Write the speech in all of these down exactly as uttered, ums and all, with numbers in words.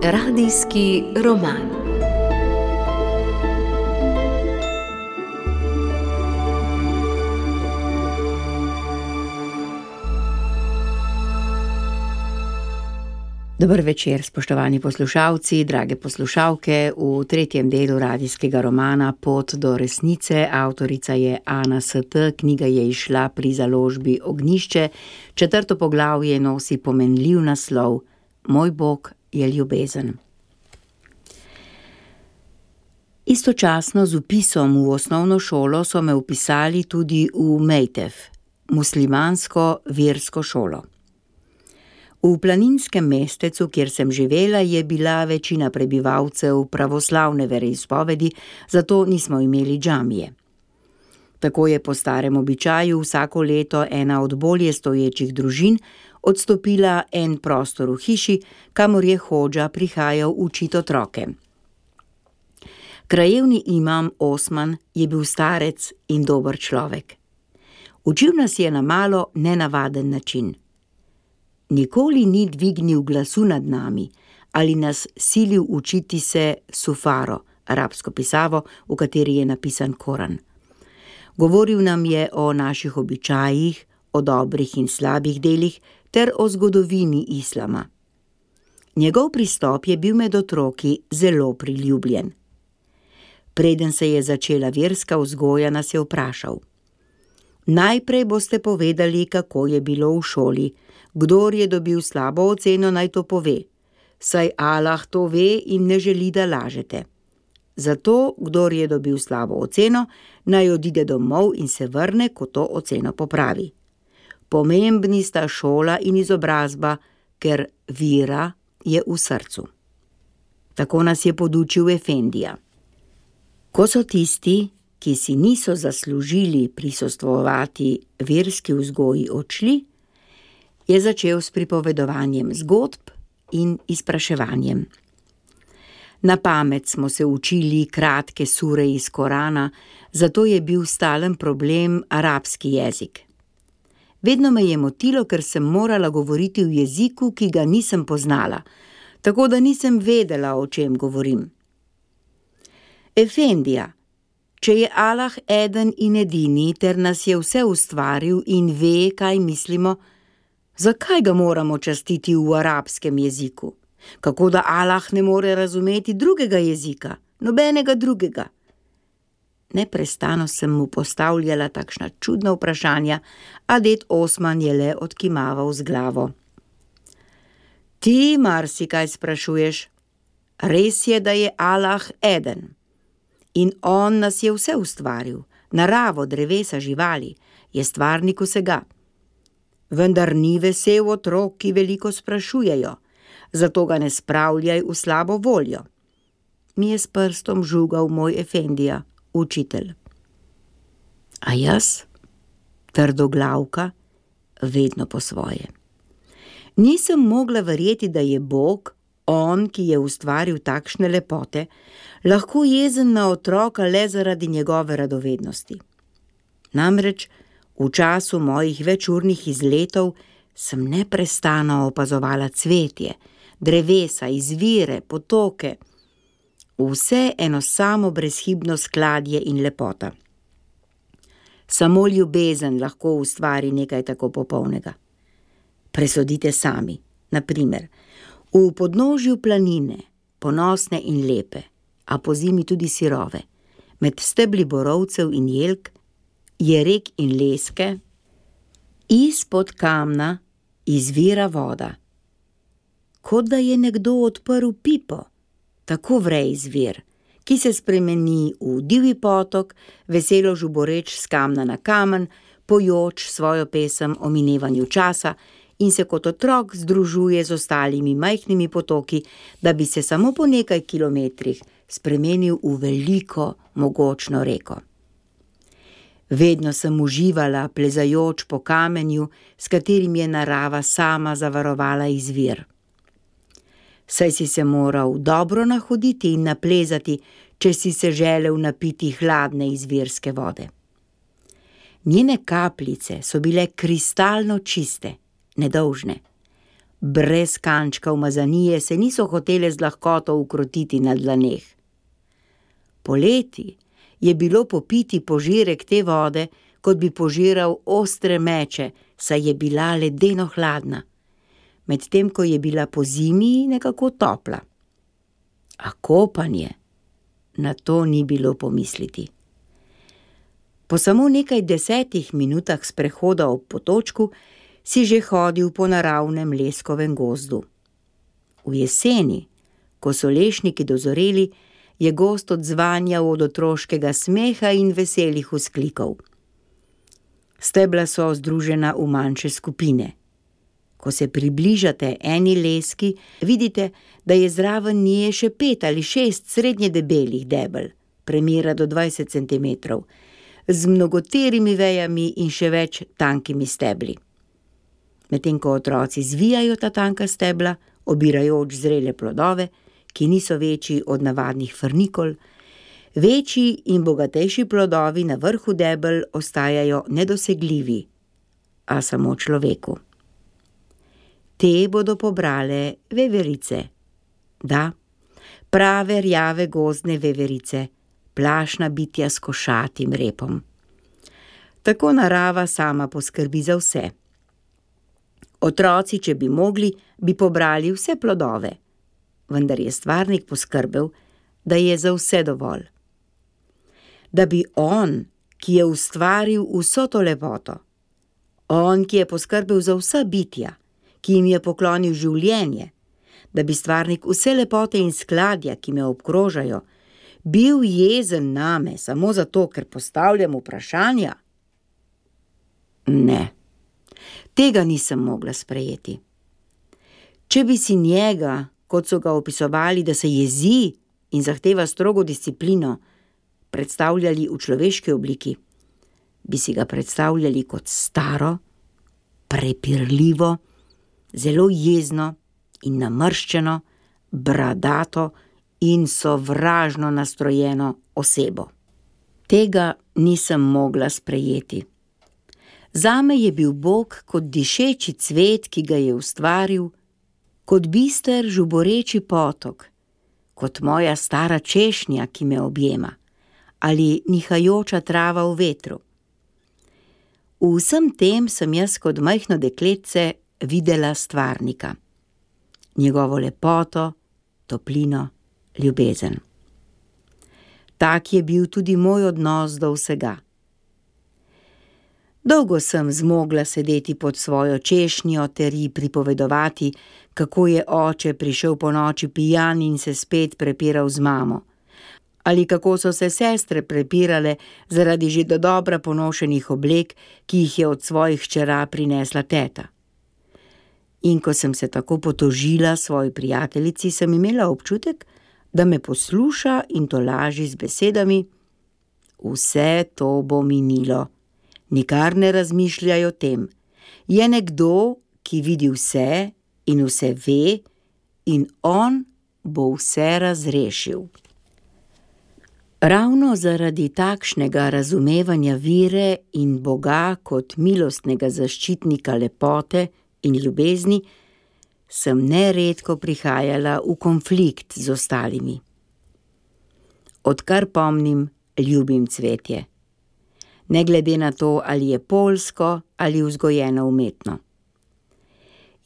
Radijski roman. Dober večer, spoštovani poslušalci, drage poslušalke. V tretjem delu radijskega romana Pot do resnice, avtorica je Ana S T, knjiga je izšla pri založbi Ognjišče, četrto poglavje nosi pomenljiv naslov Moj Bog je ljubezen. Istočasno z vpisom v osnovno šolo so me vpisali tudi v Mejtef, muslimansko versko šolo. V planinskem mestecu, kjer sem živela, je bila večina prebivalcev pravoslavne veroizpovedi, zato nismo imeli džamije. Tako je po starem običaju vsako leto ena od bolje stoječih družin odstopila en prostor v hiši, kamor je hodža prihajal učit otroke. Krajevni imam Osman je bil starec in dober človek. Učil nas je na malo nenavaden način. Nikoli ni dvignil glasu nad nami ali nas silil učiti se sufaro, arabsko pisavo, v kateri je napisan Koran. Govoril nam je o naših običajih, o dobrih in slabih delih ter o zgodovini islama. Njegov pristop je bil med otroki zelo priljubljen. Preden se je začela verska vzgoja, nas je vprašal: Najprej boste povedali, kako je bilo v šoli. Kdor je dobil slabo oceno, naj to pove, saj Allah to ve in ne želi, da lažete. Zato, kdor je dobil slabo oceno, naj odide domov in se vrne, ko to oceno popravi. Pomembni sta šola in izobrazba, ker vera je v srcu. Tako nas je podučil Efendija. Ko so tisti, ki si niso zaslužili prisostvovati verski vzgoji, odšli, je začel s pripovedovanjem zgodb in izpraševanjem. Na pamet smo se učili kratke sure iz Korana, zato je bil stalen problem arabski jezik. Vedno me je motilo, ker sem morala govoriti v jeziku, ki ga nisem poznala, tako da nisem vedela, o čem govorim. Efendija, če je Allah eden in edini ter nas je vse ustvaril in ve, kaj mislimo, zakaj ga moramo častiti v arabskem jeziku? Kako da Allah ne more razumeti drugega jezika, nobenega drugega? Neprestano sem mu postavljala takšna čudna vprašanja, a ded Osman je le odkimaval z glavo. Ti marsikaj sprašuješ. Res je, da je Allah eden. In on nas je vse ustvaril, naravo, drevesa, živali, je stvarnik vsega. Vendar ni vesel otrok, ki veliko sprašujejo, zato ga ne spravljaj v slabo voljo. Mi je s prstom žugal moj Efendija, učitelj. A jaz, trdoglavka, vedno po svoje. Nisem mogla verjeti, da je Bog, on, ki je ustvaril takšne lepote, lahko jezen na otroka le zaradi njegove radovednosti. Namreč, v času mojih večurnih izletov sem neprestano opazovala cvetje, drevesa, izvire, potoke, vse eno samo brezhibno skladje in lepota. Samo ljubezen lahko ustvari nekaj tako popolnega. Presodite sami, na primer, v podnožju planine, ponosne in lepe, a pozimi tudi sirove, med stebli borovcev in jelk, je rek in leske, izpod kamna izvira voda. Kot da je nekdo odprl pipo, tako vre izvir, ki se spremeni v divji potok, veselo žuboreč s kamna na kamen, pojoč svojo pesem o minevanju časa in se kot otrok združuje z ostalimi majhnimi potoki, da bi se samo po nekaj kilometrih spremenil v veliko, mogočno reko. Vedno sem uživala plezajoč po kamenju, s katerim je narava sama zavarovala izvir. Saj si se moral dobro nahoditi in naplezati, če si se želel napiti hladne izvirske vode. Njene kapljice so bile kristalno čiste, nedolžne. Brez kančka umazanije se niso hotele z lahkoto ukrotiti na dlaneh. Poleti je bilo popiti požirek te vode, kot bi požiral ostre meče, saj je bila ledeno hladna, medtem ko je bila po zimi nekako topla. A kopanje, na to ni bilo pomisliti. Po samo nekaj desetih minutah sprehoda ob potočku si že hodil po naravnem leskovem gozdu. V jeseni, ko so lešniki dozoreli, je gozd odzvanjal od otroškega smeha in veselih vzklikov. Stebla so združena v manjše skupine. Ko se približate eni leski, vidite, da je zraven nje še pet ali šest srednje debelih debel, premera do dvajset centimetrov, z mnogoterimi vejami in še več tankimi stebli. Medtem ko otroci zvijajo ta tanka stebla, obirajoč zrele plodove, ki niso večji od navadnih frnikol, večji in bogatejši plodovi na vrhu debel ostajajo nedosegljivi, a samo človeku. Te bodo pobrale veverice. Da, prave rjave gozdne veverice, plašna bitja s košatim repom. Tako narava sama poskrbi za vse. Otroci, če bi mogli, bi pobrali vse plodove, vendar je stvarnik poskrbel, da je za vse dovolj. Da bi on, ki je ustvaril vso to lepoto, on, ki je poskrbel za vsa bitja, ki jim je poklonil življenje, da bi stvarnik vse lepote in skladja, ki me obkrožajo, bil jezen name samo zato, ker postavljam vprašanja? Ne, tega nisem mogla sprejeti. Če bi si njega, kot so ga opisovali, da se jezi in zahteva strogo disciplino, predstavljali v človeški obliki, bi si ga predstavljali kot staro, prepirljivo, zelo jezno in namrščeno, bradato in sovražno nastrojeno osebo. Tega nisem mogla sprejeti. Zame je bil Bog kot dišeči cvet, ki ga je ustvaril, kot bister žuboreči potok, kot moja stara češnja, ki me objema, ali nihajoča trava v vetru. V vsem tem sem jaz kot majhno dekletce videla stvarnika, njegovo lepoto, toplino, ljubezen. Tak je bil tudi moj odnos do vsega. Dolgo sem zmogla sedeti pod svojo češnjo ter ji pripovedovati, kako je oče prišel po noči pijan in se spet prepiral z mamo, ali kako so se sestre prepirale zaradi že dodobra ponošenih oblek, ki jih je od svojih hčera prinesla teta. In ko sem se tako potožila svoji prijateljici, sem imela občutek, da me posluša in tolaži z besedami: vse to bo minilo, nikar ne razmišljaj o tem. Je nekdo, ki vidi vse in vse ve, in on bo vse razrešil. Ravno zaradi takšnega razumevanja vire in Boga kot milostnega zaščitnika lepote in ljubezni, sem neredko prihajala v konflikt z ostalimi. Odkar pomnim, ljubim cvetje. Ne glede na to, ali je poljsko ali vzgojeno umetno.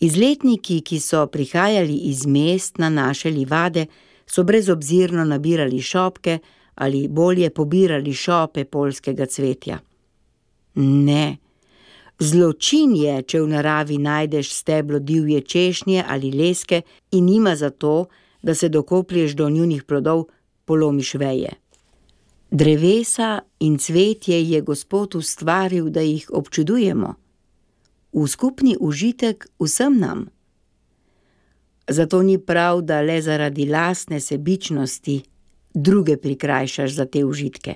Izletniki, ki so prihajali iz mest na naše livade, so brezobzirno nabirali šopke ali bolje pobirali šope poljskega cvetja. Ne, zločin je, če v naravi najdeš steblo divje češnje ali leske in nima za to, da se dokoplješ do njunih plodov, polomiš veje. Drevesa in cvetje je Gospod ustvaril, da jih občudujemo, v skupni užitek vsem nam. Zato ni prav, da le zaradi lastne sebičnosti druge prikrajšaš za te užitke.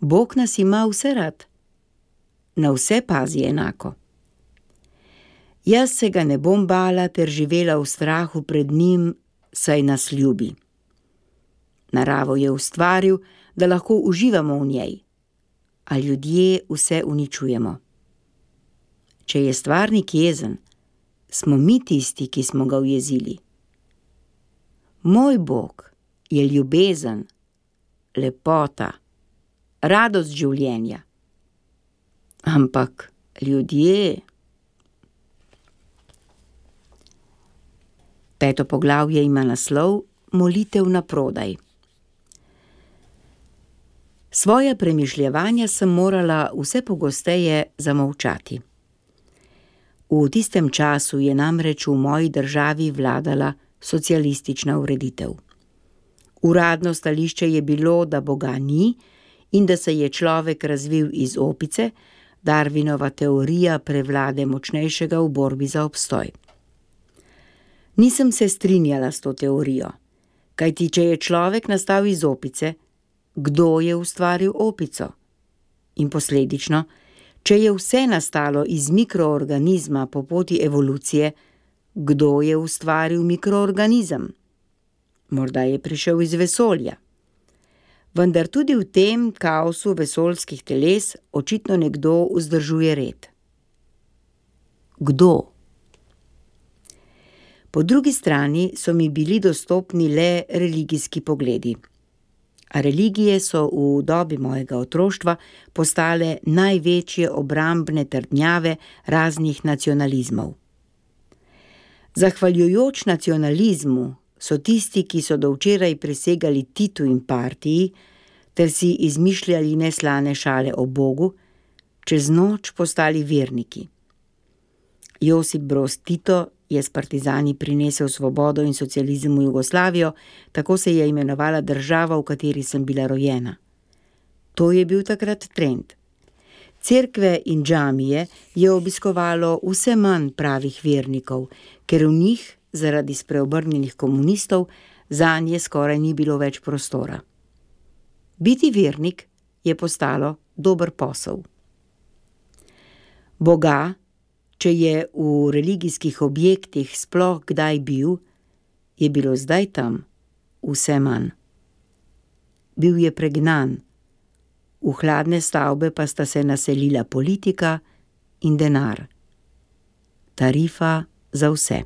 Bog nas ima vse rad, na vse pazi enako. Jaz se ga ne bom bala ter živela v strahu pred njim, saj nas ljubi. Naravo je ustvaril, da lahko uživamo v njej, a ljudje vse uničujemo. Če je stvarnik jezen, smo mi tisti, ki smo ga ujezili. Moj Bog je ljubezen, lepota, radost življenja. Ampak ljudje... Peto poglavje ima naslov Molitev na prodaj. Svoja premišljevanja sem morala vse pogosteje zamolčati. V tistem času je namreč v moji državi vladala socialistična ureditev. Uradno stališče je bilo, da Boga ni in da se je človek razvil iz opice, Darwinova teorija prevlade močnejšega v borbi za obstoj. Nisem se strinjala s to teorijo, kajti če je človek nastal iz opice, kdo je ustvaril opico? In posledično, če je vse nastalo iz mikroorganizma po poti evolucije, kdo je ustvaril mikroorganizem? Morda je prišel iz vesolja. Vendar tudi v tem kaosu vesoljskih teles očitno nekdo vzdržuje red. Kdo? Po drugi strani so mi bili dostopni le religijski pogledi. A religije so v dobi mojega otroštva postale največje obrambne trdnjave raznih nacionalizmov. Zahvaljujoč nacionalizmu so tisti, ki so do včeraj prisegali Titu in partiji, ter si izmišljali neslane šale o Bogu, čez noč postali verniki. Josip Broz Tito je s partizani prinesel svobodo in socializem v Jugoslavijo, tako se je imenovala država, v kateri sem bila rojena. To je bil takrat trend. Cerkve in džamije je obiskovalo vse manj pravih vernikov, ker v njih, zaradi spreobrnjenih komunistov, zanje skoraj ni bilo več prostora. Biti vernik je postalo dober posel. Boga, če je v religijskih objektih sploh kdaj bil, je bilo zdaj tam vse manj. Bil je pregnan, v hladne stavbe pa sta se naselila politika in denar. Tarifa za vse.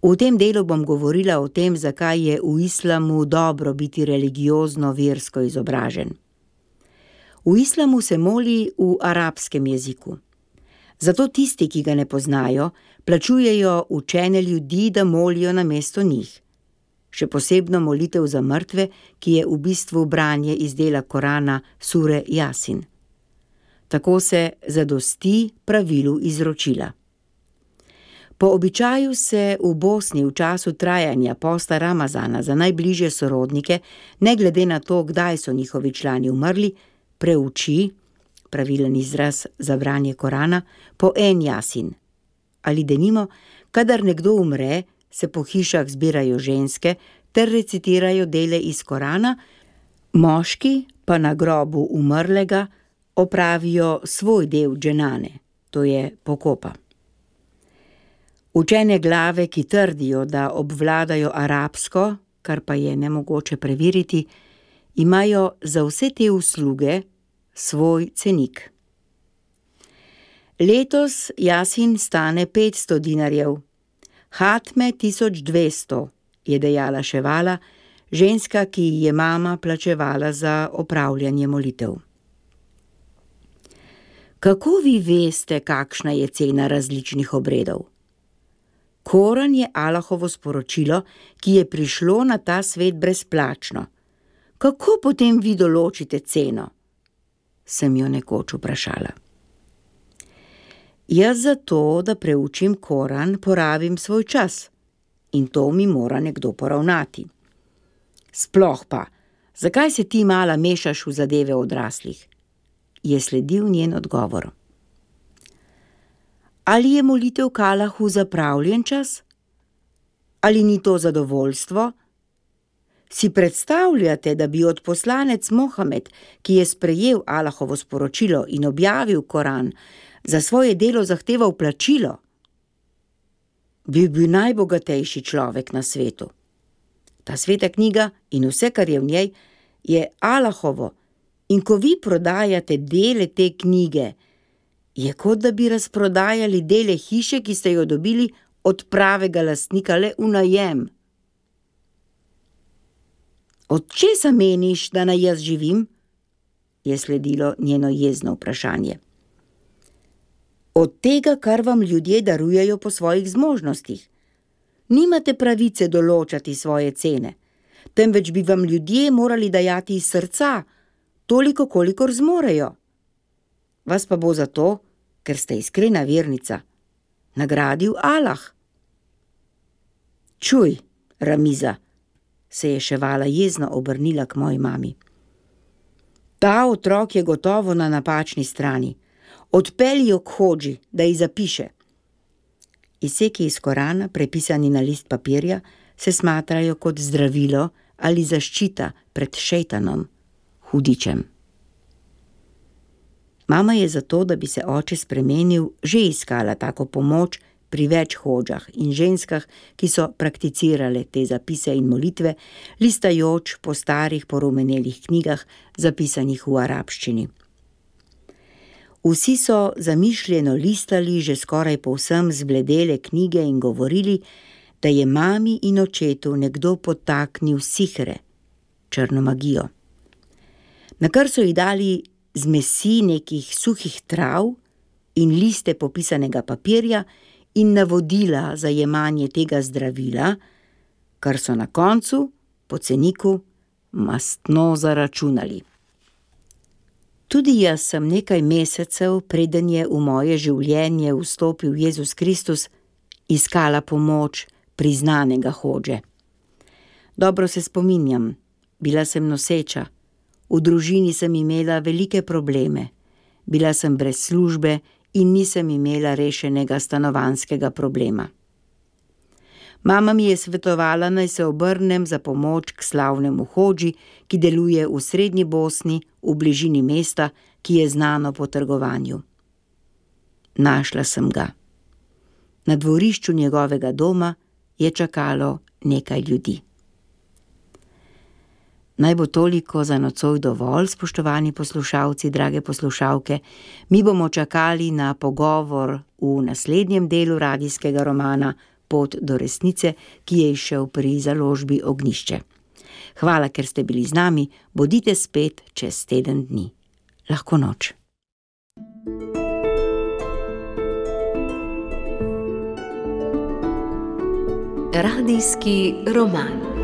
V tem delu bom govorila o tem, zakaj je v islamu dobro biti religiozno versko izobražen. V islamu se moli v arabskem jeziku. Zato tisti, ki ga ne poznajo, plačujejo učene ljudi, da molijo namesto njih. Še posebno molitev za mrtve, ki je v bistvu branje iz dela Korana sure Jasin. Tako se zadosti pravilu izročila. Po običaju se v Bosni v času trajanja posta Ramazana za najbližje sorodnike, ne glede na to, kdaj so njihovi člani umrli, preuči, pravilen izraz za branje Korana, po en Jasin. Ali denimo, kadar nekdo umre, se po hišah zbirajo ženske ter recitirajo dele iz Korana, moški pa na grobu umrlega opravijo svoj del dženane, to je pokopa. Učene glave, ki trdijo, da obvladajo arabsko, kar pa je nemogoče preveriti, imajo za vse te usluge svoj cenik. Letos Jasin stane petsto dinarjev, hatme tisoč dvesto, je dejala Ševala, ženska, ki je mama plačevala za opravljanje molitev. Kako vi veste, kakšna je cena različnih obredov? Koran je Allahovo sporočilo, ki je prišlo na ta svet brezplačno. Kako potem vi določite ceno? Sem jo nekoč vprašala. Jaz zato, da preučim Koran, porabim svoj čas in to mi mora nekdo poravnati. Sploh pa, zakaj se ti mala mešaš v zadeve odraslih? Je sledil njen odgovor. Ali je molitev k Allahu zapravljen čas? Ali ni to zadovoljstvo? Si predstavljate, da bi odposlanec Mohamed, ki je sprejel Allahovo sporočilo in objavil Koran, za svoje delo zahteval plačilo? Bil bi najbogatejši človek na svetu. Ta sveta knjiga in vse, kar je v njej, je Allahovo In ko vi prodajate dele te knjige, je kot da bi razprodajali dele hiše, ki ste jo dobili od pravega lastnika le v najem. Od česa meniš, da naj jaz živim? Je sledilo njeno jezno vprašanje. Od tega, kar vam ljudje darujejo po svojih zmožnostih. Nimate pravice določati svoje cene, temveč bi vam ljudje morali dajati iz srca, toliko, kolikor zmorejo. Vas pa bo zato, ker ste iskrena vernica, nagradil Allah. Čuj, Ramiza, se je Ševala jezno obrnila k moji mami. Ta otrok je gotovo na napačni strani. Odpelji jo k hodži, da ji zapiše. Izseki iz Korana, prepisani na list papirja, se smatrajo kot zdravilo ali zaščita pred šejtanom, hudičem. Mama je zato, da bi se oče spremenil, že iskala tako pomoč pri več hodžah in ženskah, ki so prakticirale te zapise in molitve, listajoč po starih porumenelih knjigah, zapisanih v arabščini. Vsi so zamišljeno listali že skoraj povsem zbledele knjige in govorili, da je mami in očetu nekdo podtaknil sihre, črno magijo. Nakar so ji dali zmesi nekih suhih trav in liste popisanega papirja in navodila za jemanje tega zdravila, kar so na koncu, po ceniku, mastno zaračunali. Tudi jaz sem nekaj mesecev, preden je v moje življenje vstopil Jezus Kristus, iskala pomoč priznanega hodže. Dobro se spominjam, bila sem noseča, v družini sem imela velike probleme, bila sem brez službe in nisem imela rešenega stanovanjskega problema. Mama mi je svetovala, naj se obrnem za pomoč k slavnemu hodži, ki deluje v srednji Bosni, v bližini mesta, ki je znano po trgovanju. Našla sem ga. Na dvorišču njegovega doma je čakalo nekaj ljudi. Naj bo toliko za nocoj dovolj, spoštovani poslušalci, drage poslušalke. Mi bomo čakali na pogovor v naslednjem delu radijskega romana Pot do resnice, ki je izšel pri založbi Ognjišče. Hvala, ker ste bili z nami, bodite spet čez teden dni. Lahko noč. Radijski roman.